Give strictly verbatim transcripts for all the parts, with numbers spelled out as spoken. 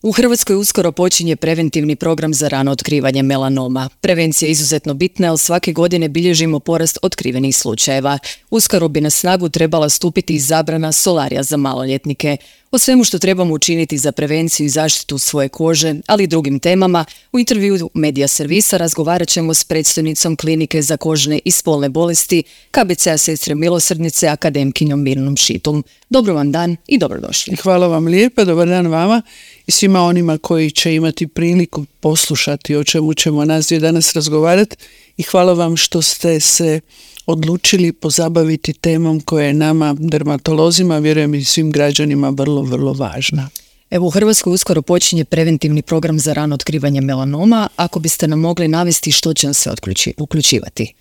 U Hrvatskoj uskoro počinje preventivni program za rano otkrivanje melanoma. Prevencija je izuzetno bitna, jer svake godine bilježimo porast otkrivenih slučajeva. Uskoro bi na snagu trebala stupiti i zabrana solarija za maloljetnike. O svemu što trebamo učiniti za prevenciju i zaštitu svoje kože, ali i drugim temama, u intervjuu Medija servisa razgovarat ćemo s predstojnicom Klinike za kožne i spolne bolesti K B C-a Sestre milosrdnice, akademkinjom Mirnom Šitum. Dobro vam dan i dobrodošli. Hvala vam lijepa, dobar dan vama i svima onima koji će imati priliku poslušati o čemu ćemo nas dvije danas razgovarati, i hvala vam što ste se odlučili pozabaviti temom koja je nama, dermatolozima, vjerujem i svim građanima, vrlo, vrlo važna. Evo, u Hrvatskoj uskoro počinje preventivni program za rano otkrivanje melanoma. Ako biste nam mogli navesti što će se uključivati?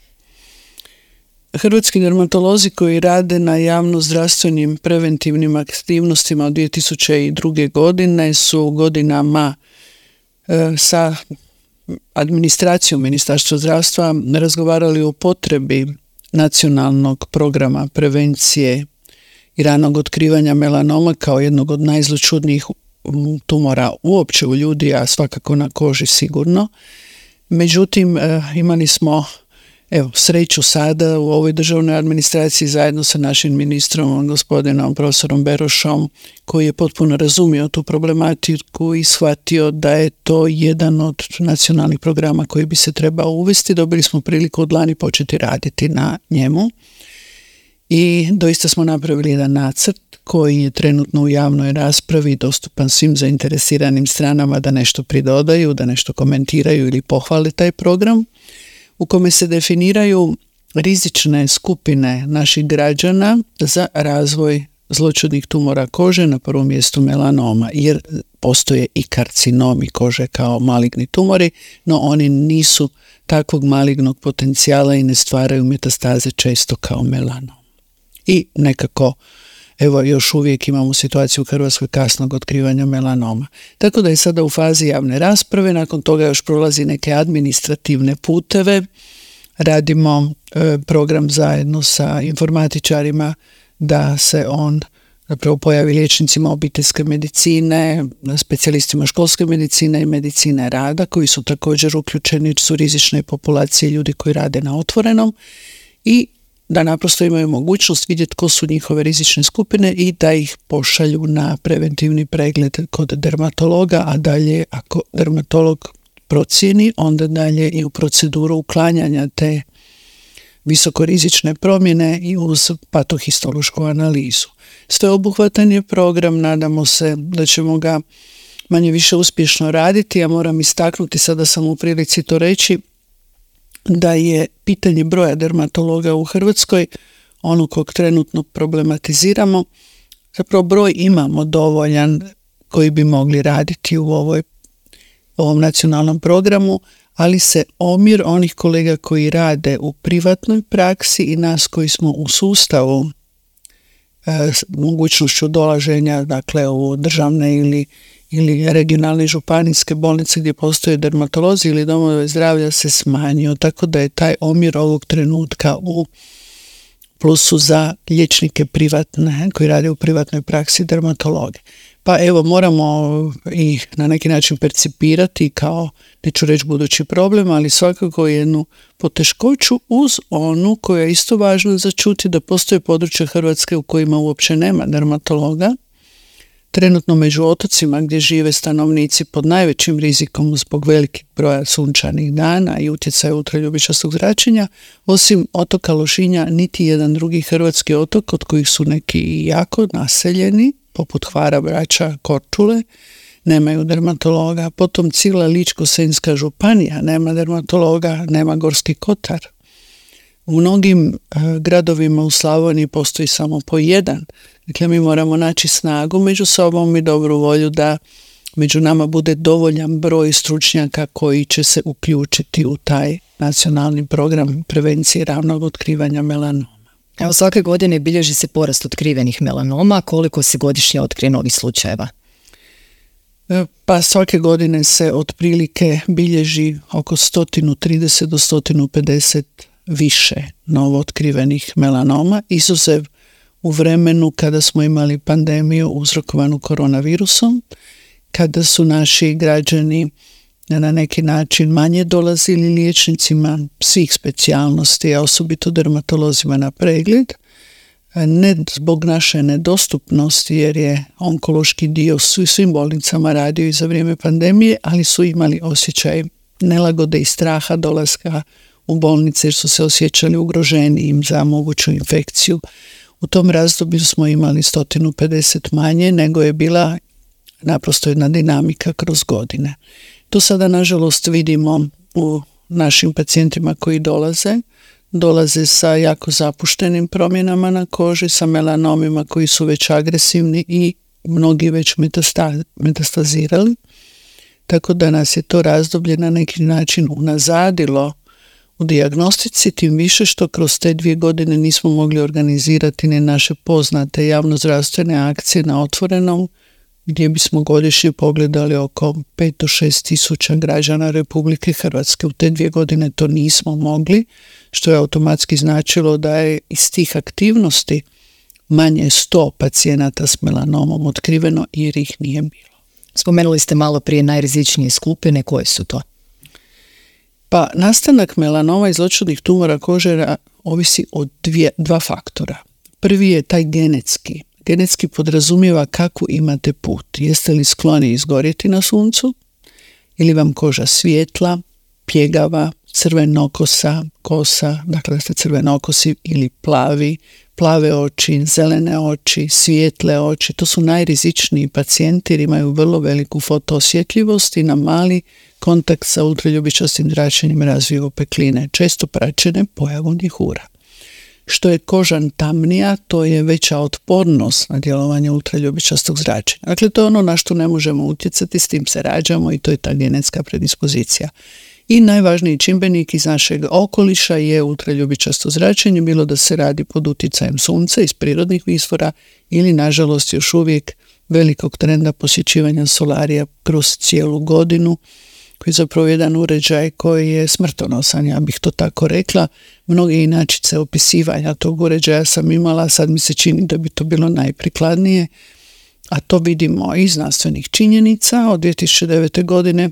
Hrvatski dermatolozi koji rade na javno-zdravstvenim preventivnim aktivnostima od dvije tisuće druge. godine su godinama e, sa administracijom Ministarstva zdravstva razgovarali o potrebi nacionalnog programa prevencije i ranog otkrivanja melanoma kao jednog od najzloćudnijih tumora uopće u ljudi, a svakako na koži sigurno. Međutim, e, imali smo Evo, sreću sada u ovoj državnoj administraciji zajedno sa našim ministrom, gospodinom profesorom Berošom, koji je potpuno razumio tu problematiku i shvatio da je to jedan od nacionalnih programa koji bi se trebao uvesti. Dobili smo priliku od lani početi raditi na njemu i doista smo napravili jedan nacrt koji je trenutno u javnoj raspravi, dostupan svim zainteresiranim stranama da nešto pridodaju, da nešto komentiraju ili pohvale taj program, u kome se definiraju rizične skupine naših građana za razvoj zloćudnih tumora kože, na prvom mjestu melanoma, jer postoje i karcinomi kože kao maligni tumori, no oni nisu takvog malignog potencijala i ne stvaraju metastaze često kao melanom. I nekako, evo, još uvijek imamo situaciju u Hrvatskoj kasnog otkrivanja melanoma. Tako da je sada u fazi javne rasprave, nakon toga još prolazi neke administrativne puteve. Radimo e, program zajedno sa informatičarima da se on zapravo pojavi liječnicima obiteljske medicine, specijalistima školske medicine i medicine rada, koji su također uključeni, su rizične populacije ljudi koji rade na otvorenom, i da naprosto imaju mogućnost vidjeti tko su njihove rizične skupine i da ih pošalju na preventivni pregled kod dermatologa, a dalje ako dermatolog procijeni, onda dalje i u proceduru uklanjanja te visokorizične promjene i uz patohistološku analizu. Sveobuhvatan je program, nadamo se da ćemo ga manje više uspješno raditi. Ja moram istaknuti, sada sam u prilici to reći, da je pitanje broja dermatologa u Hrvatskoj, ono kog trenutno problematiziramo, zapravo broj imamo dovoljan koji bi mogli raditi u ovoj, ovom nacionalnom programu, ali se omjer onih kolega koji rade u privatnoj praksi i nas koji smo u sustavu e, s mogućnošću dolaženja, dakle u državne ili ili regionalne županijske bolnice gdje postoje dermatolozi ili domove zdravlja se smanjio, tako da je taj omjer ovog trenutka u plusu za liječnike privatne, koji rade u privatnoj praksi, dermatologe. Pa evo, moramo ih na neki način percipirati kao, neću reći budući problem, ali svakako jednu poteškoću uz onu koja je isto važna za čuti, da postoje područja Hrvatske u kojima uopće nema dermatologa. Trenutno među otocima gdje žive stanovnici pod najvećim rizikom zbog velikih broja sunčanih dana i utjecaja ultraljubičastog zračenja, osim otoka Lošinja, niti jedan drugi hrvatski otok, od kojih su neki jako naseljeni, poput Hvara, Brača, Korčule, nemaju dermatologa. Potom cijela Ličko-senjska županija nema dermatologa, nema Gorski kotar. U mnogim e, gradovima u Slavoniji postoji samo po jedan. Dakle, mi moramo naći snagu među sobom i dobru volju da među nama bude dovoljan broj stručnjaka koji će se uključiti u taj nacionalni program prevencije ranog otkrivanja melanoma. Evo, svake godine bilježi se porast otkrivenih melanoma. Koliko se godišnje otkrije novih slučajeva? E, pa svake godine se otprilike bilježi oko sto trideset do sto pedeset više novootkrivenih melanoma, izuzev u vremenu kada smo imali pandemiju uzrokovanu koronavirusom kada su naši građani na neki način manje dolazili liječnicima svih specijalnosti, a osobito dermatolozima na pregled, ne zbog naše nedostupnosti, jer je onkološki dio u svim bolnicama radio i za vrijeme pandemije, ali su imali osjećaj nelagode i straha dolaska u bolnice jer su se osjećali ugroženijim za moguću infekciju. U tom razdoblju smo imali sto pedeset manje nego je bila naprosto jedna dinamika kroz godine. To sada nažalost vidimo u našim pacijentima koji dolaze. Dolaze sa jako zapuštenim promjenama na koži, sa melanomima koji su već agresivni i mnogi već metasta- metastazirali. Tako da nas je to razdoblje na neki način unazadilo u dijagnostici, tim više što kroz te dvije godine nismo mogli organizirati ni naše poznate javnozdravstvene akcije na otvorenom, gdje bismo godišnje pogledali oko pet do šest tisuća građana Republike Hrvatske. U te dvije godine to nismo mogli, što je automatski značilo da je iz tih aktivnosti manje sto pacijenata s melanomom otkriveno jer ih nije bilo. Spomenuli ste malo prije najrizičnije skupine, koje su to? Pa nastanak melanoma i zloćudnih tumora kože ovisi od dvije, dva faktora. Prvi je taj genetski. Genetski podrazumijeva kakvu imate put. Jeste li skloni izgorjeti na suncu ili vam koža svijetla, pjegava, crvenokosa, kosa, dakle da ste crvenokosi ili plavi, plave oči, zelene oči, svijetle oči. To su najrizičniji pacijenti jer imaju vrlo veliku fotoosjetljivost i na mali kontakt sa ultraljubičastim zračenjem razviju opekline, često praćene pojavom njihura. Što je koža tamnija, to je veća otpornost na djelovanje ultraljubičastog zračenja. Dakle, to je ono na što ne možemo utjecati, s tim se rađamo i to je ta genetska predispozicija. I najvažniji čimbenik iz našeg okoliša je ultraljubičasto zračenje, bilo da se radi pod utjecajem sunca iz prirodnih izvora ili, nažalost, još uvijek velikog trenda posjećivanja solarija kroz cijelu godinu, koji je zapravo jedan uređaj koji je smrtonosan, ja bih to tako rekla. Mnoge inačice opisivanja tog uređaja sam imala, sad mi se čini da bi to bilo najprikladnije, a to vidimo iz znanstvenih činjenica. Od dvije tisuće devete. godine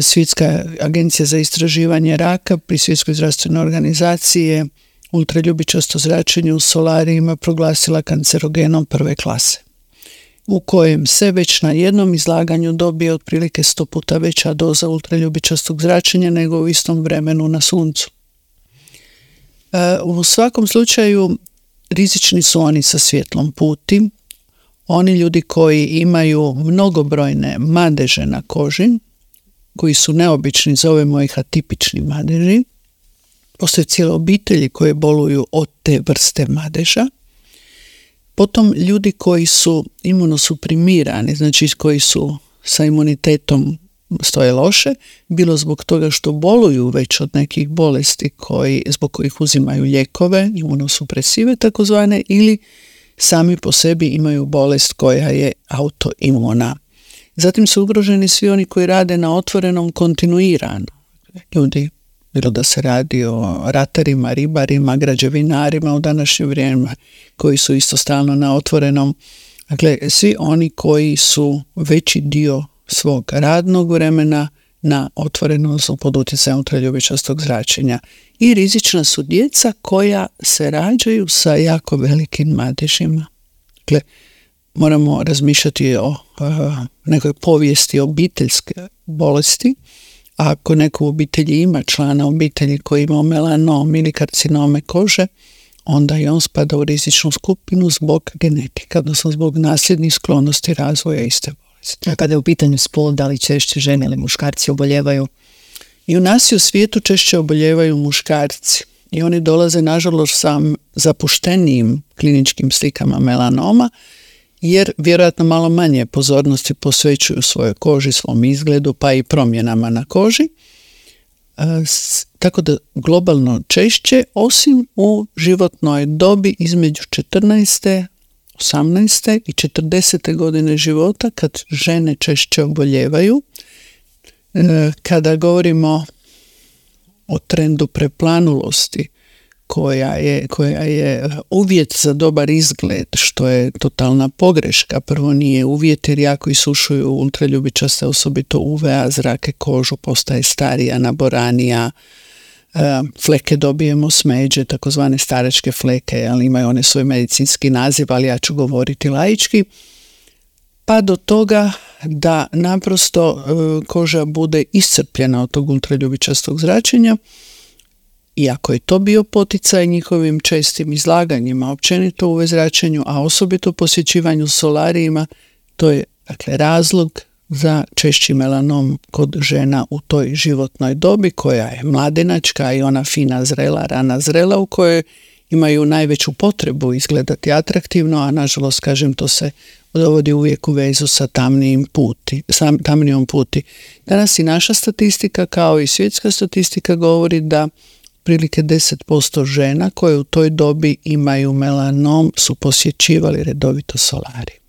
Svjetska agencija za istraživanje raka pri Svjetskoj zdravstvenoj organizaciji je ultraljubičasto zračenje u solarijima proglasila kancerogenom prve klase, u kojem se već na jednom izlaganju dobije otprilike sto puta veća doza ultraljubičastog zračenja nego u istom vremenu na suncu. E, u svakom slučaju rizični su oni sa svjetlom puti, oni ljudi koji imaju mnogobrojne madeže na koži, koji su neobični, zovemo ih atipični madeži. Postoje cijele obitelji koje boluju od te vrste madeža. Potom ljudi koji su imunosuprimirani, znači koji su sa imunitetom stoje loše, bilo zbog toga što boluju već od nekih bolesti koji, zbog kojih uzimaju lijekove, imunosupresive takozvane, ili sami po sebi imaju bolest koja je autoimuna. Zatim su ugroženi svi oni koji rade na otvorenom kontinuirano. Ljudi, bilo da se radi o ratarima, ribarima, građevinarima u današnje vrijeme, koji su isto stalno na otvorenom. Dakle, svi oni koji su veći dio svog radnog vremena na otvorenom su pod utjecajem ultraljubičastog zračenja. I rizična su djeca koja se rađaju sa jako velikim madežima. Dakle, moramo razmišljati o uh, nekoj povijesti obiteljske bolesti. A ako neko u obitelji ima člana obitelji koji ima melanom ili karcinome kože, onda i on spada u rizičnu skupinu zbog genetika, odnosno zbog nasljednih sklonosti razvoja iste bolesti. A kada je u pitanju spol, da li češće žene ili muškarci oboljevaju? I u nas i u svijetu češće oboljevaju muškarci. I oni dolaze, nažalost, sa zapuštenijim kliničkim slikama melanoma, jer vjerojatno malo manje pozornosti posvećuju svojoj koži, svom izgledu, pa i promjenama na koži. E, s, tako da globalno češće, osim u životnoj dobi između četrnaeste, osamnaeste i četrdesete godine života, kad žene češće oboljevaju. E, kada govorimo o trendu preplanulosti koja je, koja je uvjet za dobar izgled, što je totalna pogreška. Prvo nije uvjet jer jako isušuju ultraljubičaste, osobito U V A zrake, kožu, postaje starija, naboranija, fleke dobijemo smeđe, takozvane staračke fleke, ali imaju one svoj medicinski naziv, ali ja ću govoriti laički, pa do toga da naprosto koža bude iscrpljena od tog ultraljubičastog zračenja. I ako je to bio poticaj njihovim čestim izlaganjima, općenito U V zračenju, a osobito posjećivanju solarijima, to je dakle razlog za češći melanom kod žena u toj životnoj dobi koja je mladenačka i ona fina zrela, rana zrela u kojoj imaju najveću potrebu izgledati atraktivno, a nažalost, kažem, to se dovodi uvijek u vezu sa tamnijim puti, sa tamnijom puti. Danas i naša statistika kao i svjetska statistika govori da prilike deset posto žena koje u toj dobi imaju melanom su posjećivali redovito solarij.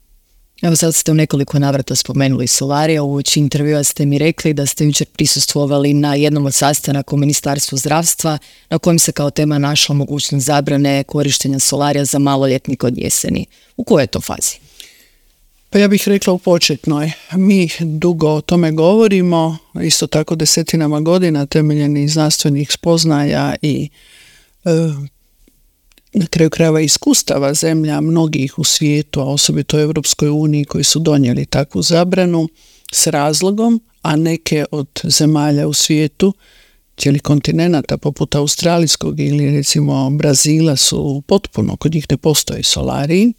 Evo sad ste u nekoliko navrata spomenuli solarija. U uoči intervjua ste mi rekli da ste jučer prisustvovali na jednom od sastanaka u Ministarstvu zdravstva na kojem se kao tema našla mogućnost zabrane korištenja solarija za maloljetnike od jeseni. U kojoj je to fazi? Pa ja bih rekla u početnoj. Mi dugo o tome govorimo, isto tako desetinama godina temeljeni znanstvenih spoznaja i e, na kraju krajeva iskustava zemlja mnogih u svijetu, a osobito u Europskoj uniji koji su donijeli takvu zabranu s razlogom, a neke od zemalja u svijetu, cijeli kontinenta poput australijskog ili recimo Brazila su potpuno, kod njih ne postoji solariji,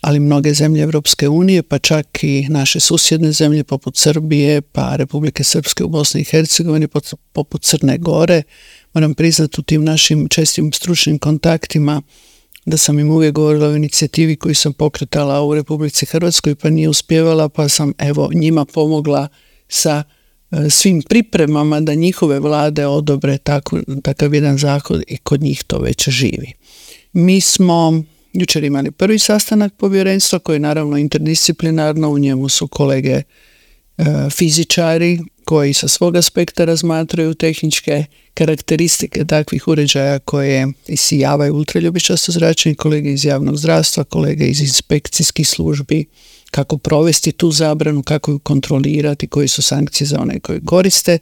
ali mnoge zemlje Europske unije, pa čak i naše susjedne zemlje poput Srbije, pa Republike Srpske u Bosni i Hercegovini, poput Crne Gore. Moram priznati u tim našim čestim stručnim kontaktima da sam im uvijek govorila o inicijativi koju sam pokretala u Republici Hrvatskoj, pa nije uspjevala, pa sam evo njima pomogla sa e, svim pripremama da njihove vlade odobre tako, takav jedan zakon i kod njih to već živi. Mi smo jučer imali prvi sastanak povjerenstva koji je naravno interdisciplinarno, u njemu su kolege e, fizičari koji sa svog aspekta razmatraju tehničke karakteristike takvih uređaja koje isijavaju ultraljubičasto zračenje, kolege iz javnog zdravstva, kolege iz inspekcijskih službi, kako provesti tu zabranu, kako ju kontrolirati, koje su sankcije za one koji koriste.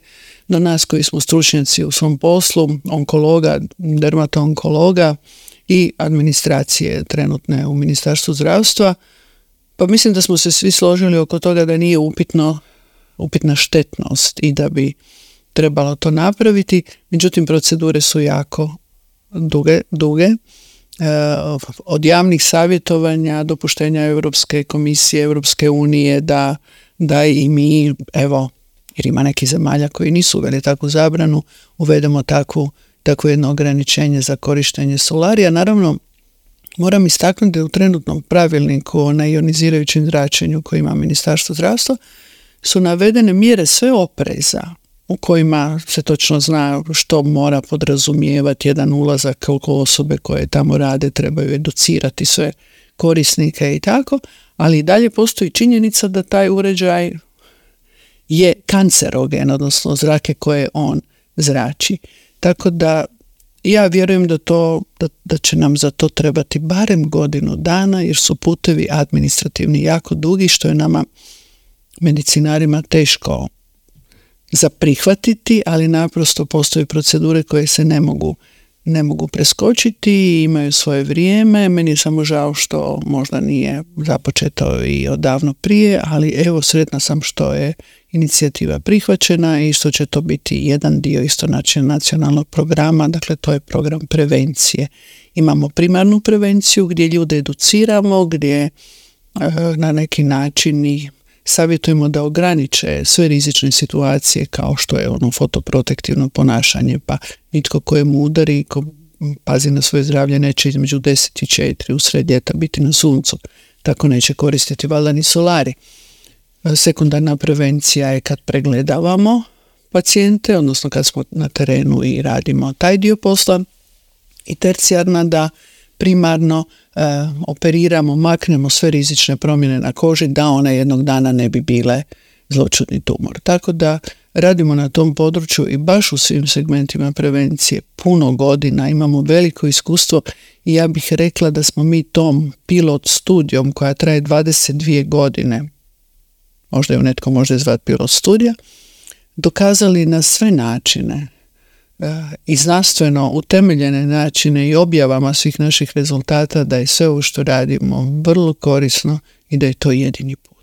No nas koji smo stručnjaci u svom poslu, onkologa, dermatoonkologa i administracije trenutne u Ministarstvu zdravstva, pa mislim da smo se svi složili oko toga da nije upitno, upitna štetnost i da bi trebalo to napraviti. Međutim, procedure su jako duge, duge. E, od javnih savjetovanja, dopuštenja Europske komisije, Europske unije da, da i mi, evo, jer ima neki zemalja koji nisu uveli takvu zabranu, uvedemo takvu takvo jedno ograničenje za korištenje solarija. Naravno, moram istaknuti da u trenutnom pravilniku o neionizirajućem zračenju koji ima Ministarstvo zdravstva su navedene mjere sve opreza u kojima se točno zna što mora podrazumijevati jedan ulazak, koliko osobe koje tamo rade trebaju educirati sve korisnike i tako, ali i dalje postoji činjenica da taj uređaj je kancerogen, odnosno zrake koje on zrači. Tako da ja vjerujem da, to, da, da će nam za to trebati barem godinu dana jer su putevi administrativni jako dugi, što je nama medicinarima teško za prihvatiti, ali naprosto postoje procedure koje se ne mogu, ne mogu preskočiti i imaju svoje vrijeme. Meni je samo žao što možda nije započeto i odavno prije, ali evo sretna sam što je inicijativa prihvaćena i što će to biti jedan dio isto nacionalnog programa, dakle to je program prevencije. Imamo primarnu prevenciju gdje ljude educiramo, gdje e, na neki način i savjetujemo da ograniče sve rizične situacije kao što je ono fotoprotektivno ponašanje, pa nitko kojemu udari, ko pazi na svoje zdravlje neće između deset i četiri usred ljeta biti na suncu, tako neće koristiti valjda ni solari. Sekundarna prevencija je kad pregledavamo pacijente, odnosno kad smo na terenu i radimo taj dio posla, i tercijarna da primarno e, operiramo, maknemo sve rizične promjene na koži da one jednog dana ne bi bile zloćudni tumor. Tako da radimo na tom području i baš u svim segmentima prevencije puno godina, imamo veliko iskustvo i ja bih rekla da smo mi tom pilot studijom koja traje dvadeset dvije godine, možda ju netko može zvati pilot studija, dokazali na sve načine i znanstveno utemeljene načine i objavama svih naših rezultata da je sve ovo što radimo vrlo korisno i da je to jedini put.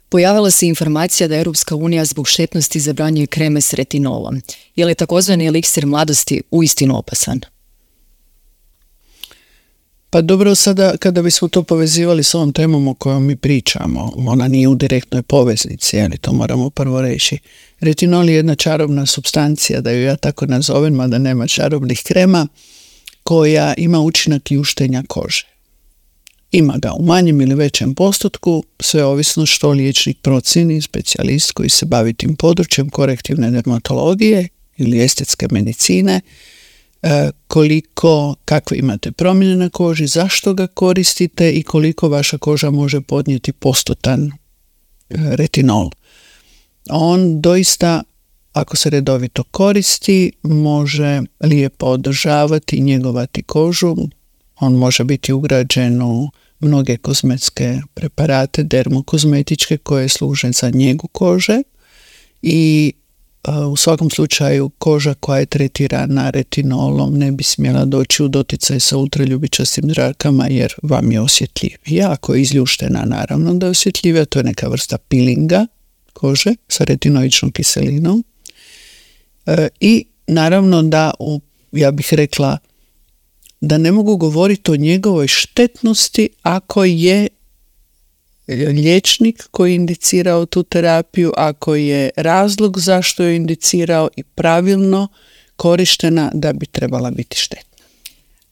Pojavila se informacija da Europska unija zbog štetnosti zabranjuje kreme s retinolom. Je li takozvani eliksir mladosti uistinu opasan? Pa dobro, sada kada bismo to povezivali s ovom temom o kojoj mi pričamo, ona nije u direktnoj poveznici, ali to moramo prvo reći. Retinol je jedna čarobna supstancija, da ju ja tako nazovem, mada nema čarobnih krema, koja ima učinak ljuštenja kože. Ima ga u manjem ili većem postotku, sve ovisno što liječnik procijeni, specijalist koji se bavi tim područjem korektivne dermatologije ili estetske medicine, koliko, kakve imate promjene na koži, zašto ga koristite i koliko vaša koža može podnijeti postotan retinol. On doista, ako se redovito koristi, može lijepo održavati i njegovati kožu. On može biti ugrađen u mnoge kozmetske preparate, dermokozmetičke koje služe za njegu kože i u svakom slučaju koža koja je tretirana retinolom ne bi smjela doći u doticaj sa ultraljubičastim zrakama jer vam je osjetljivija. Ako je izljuštena, naravno da je osjetljivija, to je neka vrsta pilinga kože sa retinoičnom kiselinom. E, I naravno da, u, ja bih rekla, da ne mogu govoriti o njegovoj štetnosti ako je liječnik koji je indicirao tu terapiju, ako je razlog zašto je indicirao i pravilno korištena, da bi trebala biti štetna.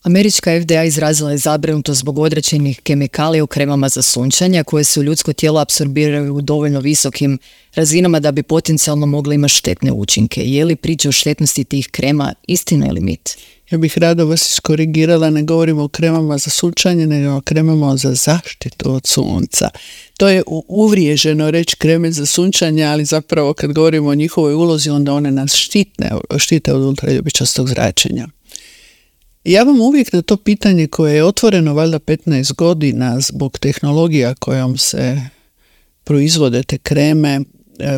Američka F D A izrazila je zabrinutost zbog određenih kemikalija u kremama za sunčanje koje se u ljudsko tijelo apsorbiraju u dovoljno visokim razinama da bi potencijalno mogle imati štetne učinke. Je li priča o štetnosti tih krema istina ili mit? Ja bih rado vas iskorigirala, ne govorimo o kremama za sunčanje, nego o kremama za zaštitu od sunca. To je uvriježeno reći kreme za sunčanje, ali zapravo kad govorimo o njihovoj ulozi, onda one nas štitne, štite od ultraljubičastog zračenja. Ja vam uvijek na to pitanje koje je otvoreno valjda petnaest godina zbog tehnologija kojom se proizvode te kreme,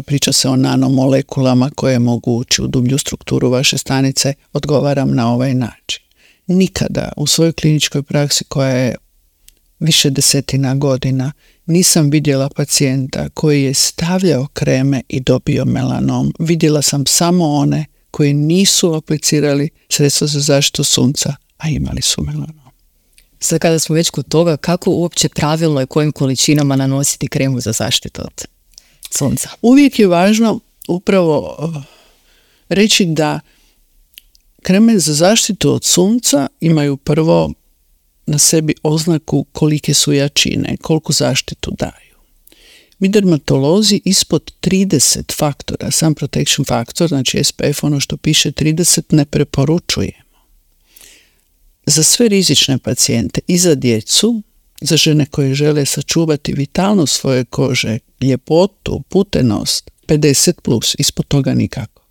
priča se o nanomolekulama koje mogu ući u dublju strukturu vaše stanice, odgovaram na ovaj način. Nikada u svojoj kliničkoj praksi koja je više desetina godina nisam vidjela pacijenta koji je stavljao kreme i dobio melanom. Vidjela sam samo one koji nisu aplicirali sredstva za zaštitu sunca, a imali su melanom. Sad kada smo već kod toga, kako uopće pravilno i kojim količinama nanositi kremu za zaštitu od sunca? Uvijek je važno upravo reći da kreme za zaštitu od sunca imaju prvo na sebi oznaku kolike su jačine, koliko zaštitu daju. Mi dermatolozi ispod trideset faktora, sun protection faktor, znači S P F, ono što piše trideset, ne preporučujemo. Za sve rizične pacijente i za djecu, za žene koje žele sačuvati vitalnost svoje kože, ljepotu, putenost, pedeset plus, ispod toga nikako.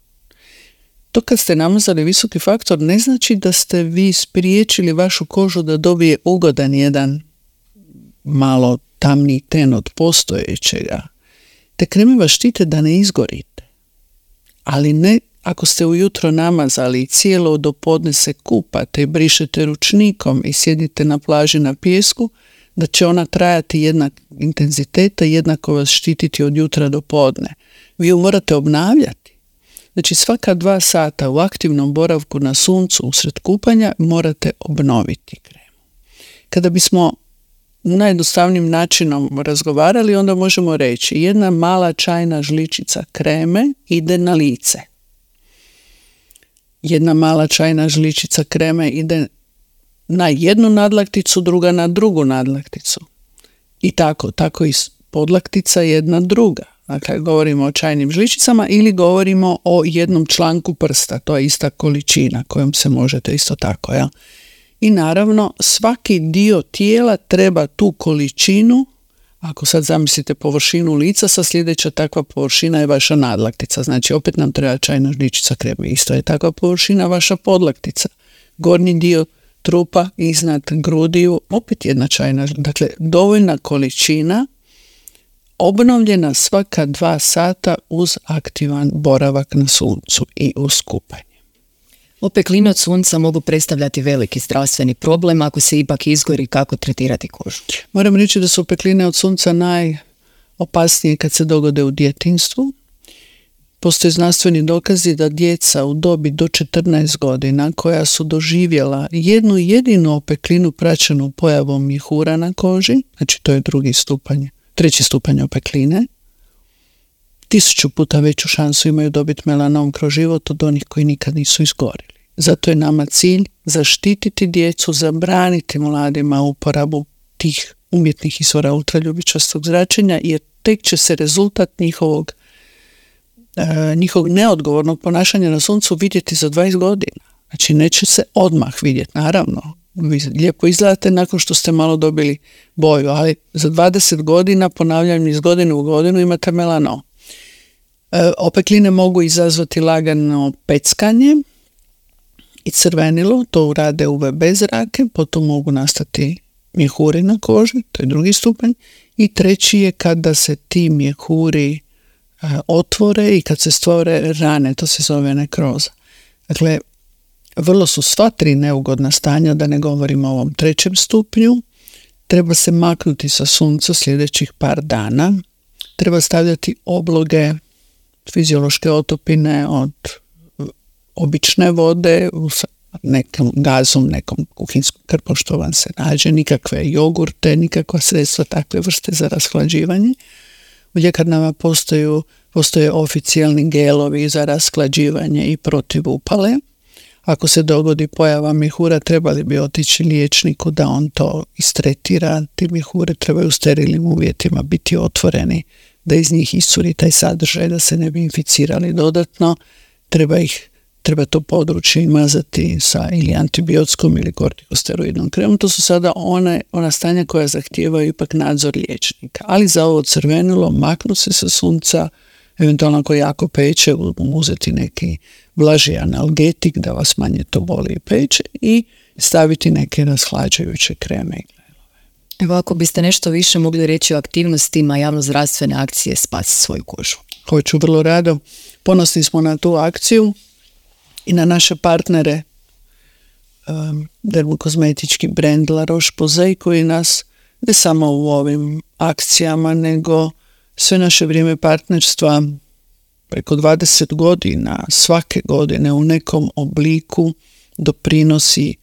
To kad ste namazali visoki faktor ne znači da ste vi spriječili vašu kožu da dobije ugodan jedan malo tamni ten od postojećega. Te kreme vas štite da ne izgorite. Ali ne ako ste ujutro namazali i cijelo do podne se kupate i brišete ručnikom i sjedite na plaži na pijesku, da će ona trajati jednak intenziteta i jednako vas štititi od jutra do podne. Vi ju morate obnavljati. Znači svaka dva sata u aktivnom boravku na suncu usred kupanja morate obnoviti kremu. Kada bismo najjednostavnijim načinom razgovarali, onda možemo reći jedna mala čajna žličica kreme ide na lice. Jedna mala čajna žličica kreme ide na jednu nadlakticu, druga na drugu nadlakticu. I tako, tako i podlaktica jedna druga. Dakle, govorimo o čajnim žličicama ili govorimo o jednom članku prsta, to je ista količina kojom se možete isto tako, jel? I naravno, svaki dio tijela treba tu količinu Ako sad zamislite površinu lica, sa sljedeća takva površina je vaša nadlaktica. Znači opet nam treba čajna žličica kreme. Isto je takva površina vaša podlaktica. Gornji dio trupa iznad grudiju, opet jedna čajna. Dakle, dovoljna količina, obnovljena svaka dva sata uz aktivan boravak na suncu i uz kupanje. Opekline od sunca mogu predstavljati veliki zdravstveni problem ako se ipak izgori, kako tretirati kožu. Moram reći da su opekline od sunca najopasnije kad se dogode u djetinjstvu. Postoje znanstveni dokazi da djeca u dobi do četrnaest godina koja su doživjela jednu jedinu opeklinu praćenu pojavom mjehura na koži, znači to je drugi stupanj, treći stupanj opekline, tisuću puta veću šansu imaju dobiti melanom kroz život od onih koji nikad nisu izgorili. Zato je nama cilj zaštititi djecu, zabraniti mladima uporabu tih umjetnih izvora ultraljubičastog zračenja, jer tek će se rezultat njihovog, e, njihovog neodgovornog ponašanja na suncu vidjeti za dvadeset godina. Znači neće se odmah vidjeti, naravno. Vi lijepo izgledate nakon što ste malo dobili boju, ali za dvadeset godina, ponavljam iz godine u godinu, imate melanom. E, opekline mogu izazvati lagano peckanje i crvenilo, to rade U V B zrake, potom mogu nastati mjehuri na koži, to je drugi stupanj, i treći je kada se ti mjehuri e, otvore i kad se stvore rane, to se zove nekroza. Dakle, vrlo su sva tri neugodna stanja, da ne govorimo o ovom trećem stupnju. Treba se maknuti sa sunca sljedećih par dana, treba stavljati obloge, fiziološke otopine od obične vode u nekom gazom, nekom kuhinskom krpom što vam se nađe, nikakve jogurte, nikakva sredstva takve vrste za rashlađivanje. U ljekarnama postoje, postoje oficijalni gelovi za rashlađivanje i protiv upale. Ako se dogodi pojava mjehura, trebali bi otići liječniku da on to istretira. Ti mjehure trebaju u sterilnim uvjetima biti otvoreni, da iz njih iscuri taj sadržaj, da se ne bi inficirali dodatno. Treba ih Treba to područje mazati sa ili antibiotskom ili kortikosteroidnom kremom. To su sada one, ona stanja koja zahtijevaju ipak nadzor liječnika. Ali za ovo crvenilo, maknu se sa sunca, eventualno ako jako peče, uzeti neki blaži analgetik da vas manje to boli i peče i staviti neke rashlađajuće kreme. Evo, ako biste nešto više mogli reći o aktivnostima javnozdravstvene akcije Spasi svoju kožu. Hoću, vrlo rado. Ponosni smo na tu akciju i na naše partnere, um, dermokozmetički brend La Roche-Posay koji nas ne samo u ovim akcijama, nego sve naše vrijeme partnerstva preko dvadeset godina, svake godine u nekom obliku doprinosi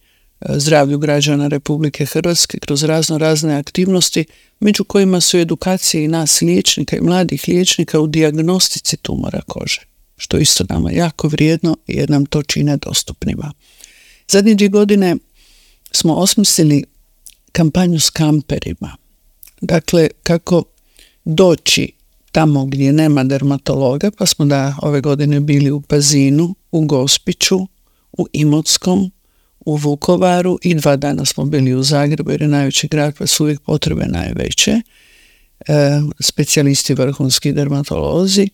zdravlju građana Republike Hrvatske kroz razno razne aktivnosti, među kojima su edukacije i nas liječnika i mladih liječnika u dijagnostici tumora kože, što je isto nama jako vrijedno jer nam to čine dostupnima. Zadnje dvije godine smo osmislili kampanju s kamperima. Dakle, kako doći tamo gdje nema dermatologa, pa smo da ove godine bili u Pazinu, u Gospiću, u Imotskom, u Vukovaru i dva dana smo bili u Zagrebu jer je najveći grad pa su uvijek potrebe najveće. E, specijalisti vrhunski dermatolozi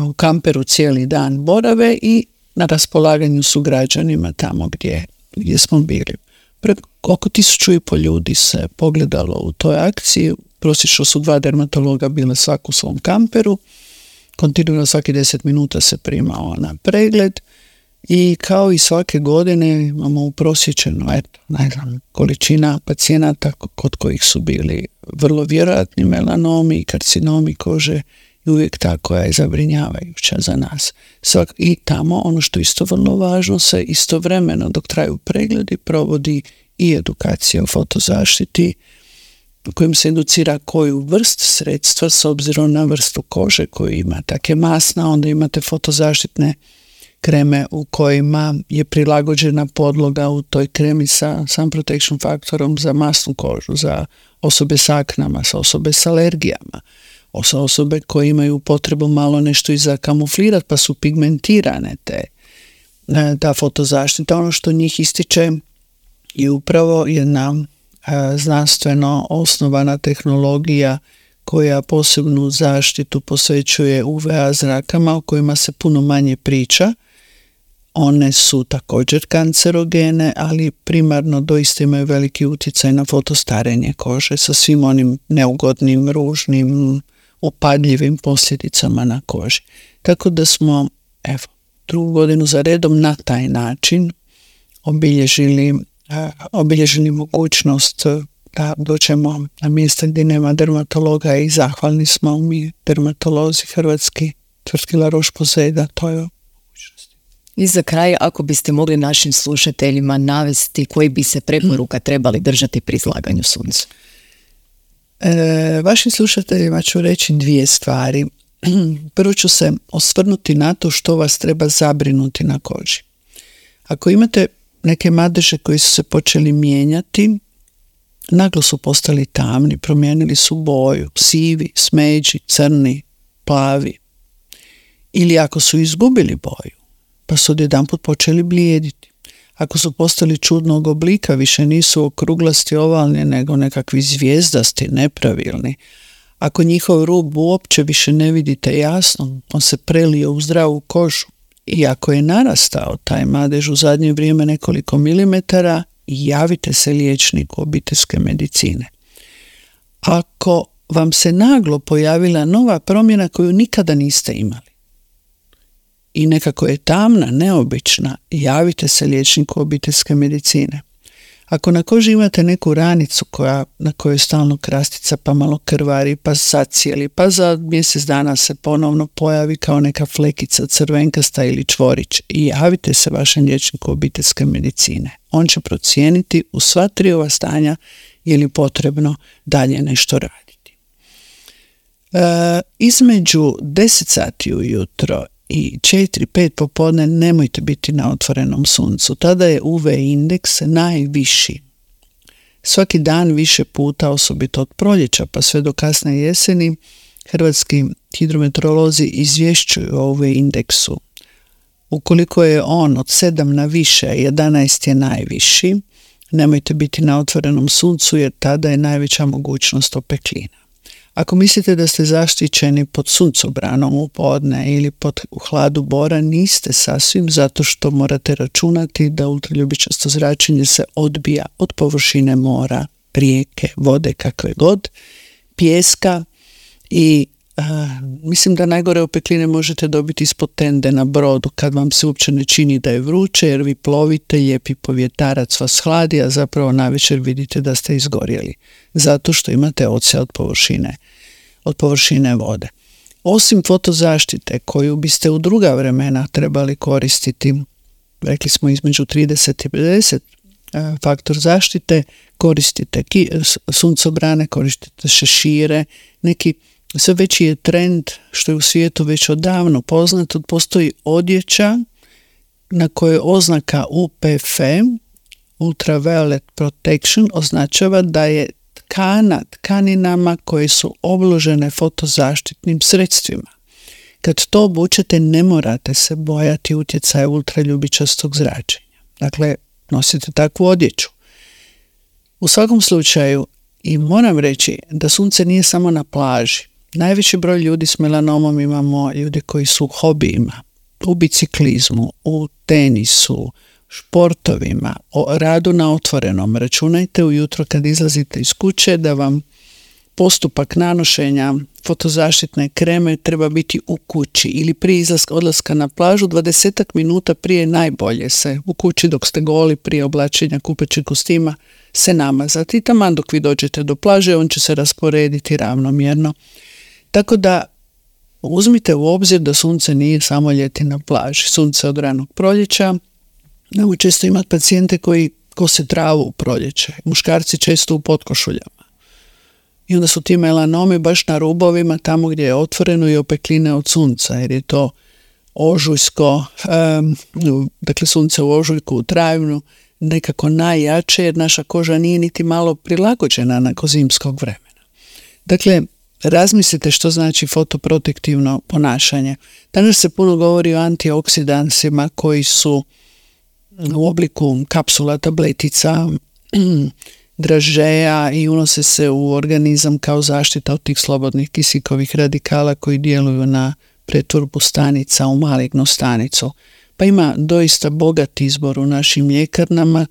u kamperu cijeli dan borave i na raspolaganju su građanima tamo gdje, gdje smo bili. Preko oko tisuću i pol ljudi se pogledalo u toj akciji. Prosječno su dva dermatologa bile svak u svom kamperu. Kontinuirano svaki deset minuta se primao na pregled i kao i svake godine imamo uprosječeno eto, ne znam, količina pacijenata kod kojih su bili vrlo vjerojatni melanomi i karcinomi kože i uvijek ta koja je zabrinjavajuća za nas. Svak, i tamo ono što isto vrlo važno se istovremeno dok traju pregledi provodi i edukacija o fotozaštiti kojim se educira koju vrst sredstva s obzirom na vrstu kože koju ima. Tako je masna, onda imate fotozaštitne kreme u kojima je prilagođena podloga u toj kremi sa sun protection faktorom za masnu kožu, za osobe s aknama, sa osobe s alergijama, sa osobe koje imaju potrebu malo nešto i zakamuflirati pa su pigmentirane te, ta fotozaštita. Ono što njih ističe je upravo jedna znanstveno osnovana tehnologija koja posebnu zaštitu posvećuje U V A zrakama o kojima se puno manje priča. One su također kancerogene, ali primarno doista imaju veliki utjecaj na fotostarenje kože sa svim onim neugodnim, ružnim, upadljivim posljedicama na koži. Tako da smo, evo, drugu godinu za redom na taj način obilježili, obilježili mogućnost da dođemo na mjesta gdje nema dermatologa i zahvalni smo mi dermatolozi hrvatski, tvrtki La Roche-Posay, da to je mogućnost. I za kraj, ako biste mogli našim slušateljima navesti koji bi se preporuka trebali držati pri izlaganju suncu. E, vašim slušateljima ću reći dvije stvari. Prvo ću se osvrnuti na to što vas treba zabrinuti na koži. Ako imate neke madeže koji su se počeli mijenjati, naglo su postali tamni, promijenili su boju, sivi, smeđi, crni, plavi. Ili ako su izgubili boju, pa su odjedanput počeli blijediti. Ako su postali čudnog oblika, više nisu okruglasti, ovalni, nego nekakvi zvijezdasti, nepravilni. Ako njihov rub uopće više ne vidite jasno, on se prelio u zdravu kožu. I ako je narastao taj madež u zadnje vrijeme nekoliko milimetara, javite se liječniku obiteljske medicine. Ako vam se naglo pojavila nova promjena koju nikada niste imali i nekako je tamna, neobična, javite se liječniku obiteljske medicine. Ako na koži imate neku ranicu koja, na kojoj je stalno krastica, pa malo krvari, pa zacijeli, pa za mjesec dana se ponovno pojavi kao neka flekica crvenkasta ili čvorić, i javite se vašem liječniku obiteljske medicine. On će procijeniti u sva tri ova stanja je li potrebno dalje nešto raditi. E, između deset sati ujutro i četiri pet popodne nemojte biti na otvorenom suncu. Tada je U V indeks najviši. Svaki dan više puta, osobito od proljeća pa sve do kasne jeseni, hrvatski hidrometeorolozi izvješćuju o U V indeksu. Ukoliko je on od sedam na više, jedanaest je najviši, nemojte biti na otvorenom suncu jer tada je najveća mogućnost opeklina. Ako mislite da ste zaštićeni pod suncobranom u podne ili pod u hladu bora, niste sasvim, zato što morate računati da ultraljubičasto zračenje se odbija od površine mora, rijeke, vode, kakve god, pijeska i a, mislim da najgore opekline možete dobiti ispod tende na brodu kad vam se uopće ne čini da je vruće jer vi plovite, lijepi povjetarac vas hladi, a zapravo navečer vidite da ste izgorjeli zato što imate odsjea od površine, od površine vode. Osim fotozaštite koju biste u druga vremena trebali koristiti, rekli smo između trideset i pedeset faktor zaštite, koristite ki, suncobrane, koristite šešire, neki sve veći je trend, što je u svijetu već odavno poznato, postoji odjeća na kojoj oznaka U P F, Ultraviolet Protection, označava da je tkana tkaninama koje su obložene fotozaštitnim sredstvima. Kad to obučete, ne morate se bojati utjecaja ultraljubičastog zračenja. Dakle, nosite takvu odjeću. U svakom slučaju, i moram reći da sunce nije samo na plaži. Najveći broj ljudi s melanomom imamo ljude koji su u hobijima, u biciklizmu, u tenisu, športovima, o radu na otvorenom. Računajte ujutro kad izlazite iz kuće da vam postupak nanošenja fotozaštitne kreme treba biti u kući ili prije izlaska, odlaska na plažu dvadesetak minuta prije najbolje se u kući dok ste goli prije oblačenja kupaćeg kostima se namazati i taman dok vi dođete do plaže on će se rasporediti ravnomjerno. Tako da uzmite u obzir da sunce nije samo ljeti na plaži. Sunce od ranog proljeća. Mogu često imati pacijente koji kose travu u proljeće. Muškarci često u potkošuljama. I onda su ti melanomi baš na rubovima tamo gdje je otvoreno i opekline od sunca, jer je to ožujsko, um, dakle sunce u ožujku, u travnju, nekako najjače jer naša koža nije niti malo prilagođena nakon zimskog vremena. Dakle, razmislite što znači fotoprotektivno ponašanje. Danas se puno govori o antioksidansima koji su u obliku kapsula, tabletica, dražeja i unose se u organizam kao zaštita od tih slobodnih kisikovih radikala koji djeluju na pretvorbu stanica u malignu stanicu. Pa ima doista bogat izbor u našim ljekarnama.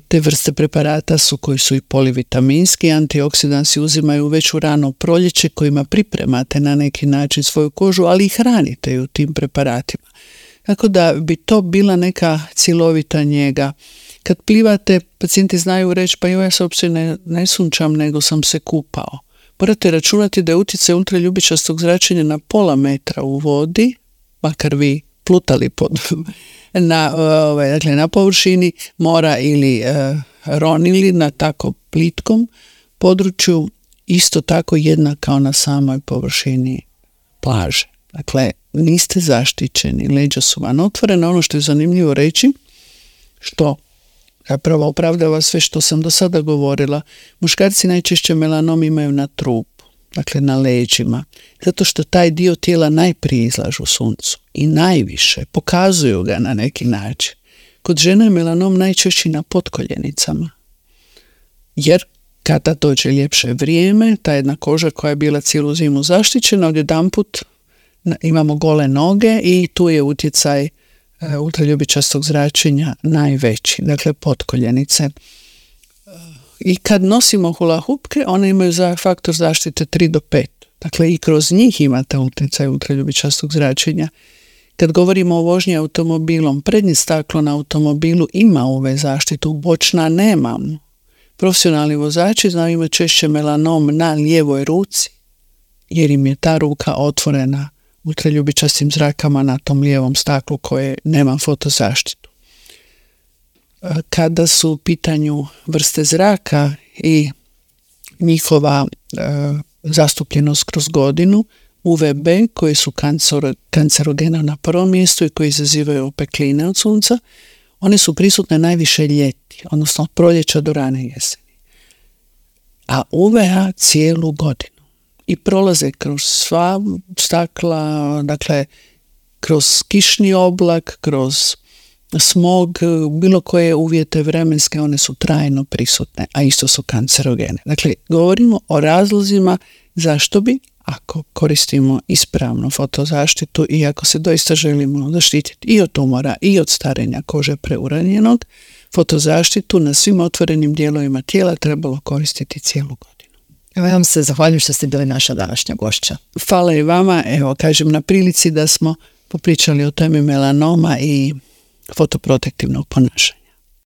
Te vrste preparata su koji su i polivitaminski, antioksidansi uzimaju već u rano proljeće kojima pripremate na neki način svoju kožu, ali i hranite ju tim preparatima. Tako da bi to bila neka cjelovita njega. Kad plivate, pacijenti znaju reći, pa ja se uopće ne, ne sunčam, nego sam se kupao. Morate računati da je utjecaj ultraljubičastog zračenja na pola metra u vodi, makar vi plutali pod, na, ovaj, dakle, na površini mora ili e, ronili na tako plitkom području, isto tako jednak kao na samoj površini plaže. Dakle, niste zaštićeni, leđa su vam otvorena. Ono što je zanimljivo reći, što zapravo opravdava sve što sam do sada govorila, muškarci najčešće melanom imaju na trupu, dakle na leđima, zato što taj dio tijela najprije izlažu suncu i najviše, pokazuju ga na neki način. Kod žene je melanom najčešći na potkoljenicama, jer kada dođe ljepše vrijeme, ta jedna koža koja je bila cijelu zimu zaštićena, odjedanput imamo gole noge i tu je utjecaj e, ultraljubičastog zračenja najveći, dakle potkoljenice. I kad nosimo hula hupke, one imaju za faktor zaštite tri do pet. Dakle, i kroz njih imate utjecaj ultraljubičastog zračenja. Kad govorimo o vožnji automobilom, prednje staklo na automobilu ima U V zaštitu, bočna nemamo. Profesionalni vozači znaju imati češće melanom na lijevoj ruci, jer im je ta ruka otvorena ultraljubičastim zrakama na tom lijevom staklu koje nema fotozaštitu. Kada su u pitanju vrste zraka i njihova e, zastupljenost kroz godinu, U V B koji su kancero, kancerogena na prvom mjestu i koji izazivaju opekline od sunca, one su prisutne najviše ljeti, odnosno od proljeća do rane jeseni. A U V A cijelu godinu. I prolaze kroz sva stakla, dakle kroz kišni oblak, kroz smog, bilo koje uvjete vremenske, one su trajno prisutne, a isto su kancerogene. Dakle, govorimo o razlozima zašto bi, ako koristimo ispravnu fotozaštitu i ako se doista želimo zaštititi i od tumora i od starenja kože preuranjenog, fotozaštitu na svim otvorenim dijelovima tijela trebalo koristiti cijelu godinu. Evo, ja vam se zahvaljujem što ste bili naša današnja gošća. Hvala i vama, evo kažem na prilici da smo popričali o temi melanoma i fotoprotektivnog ponašanja.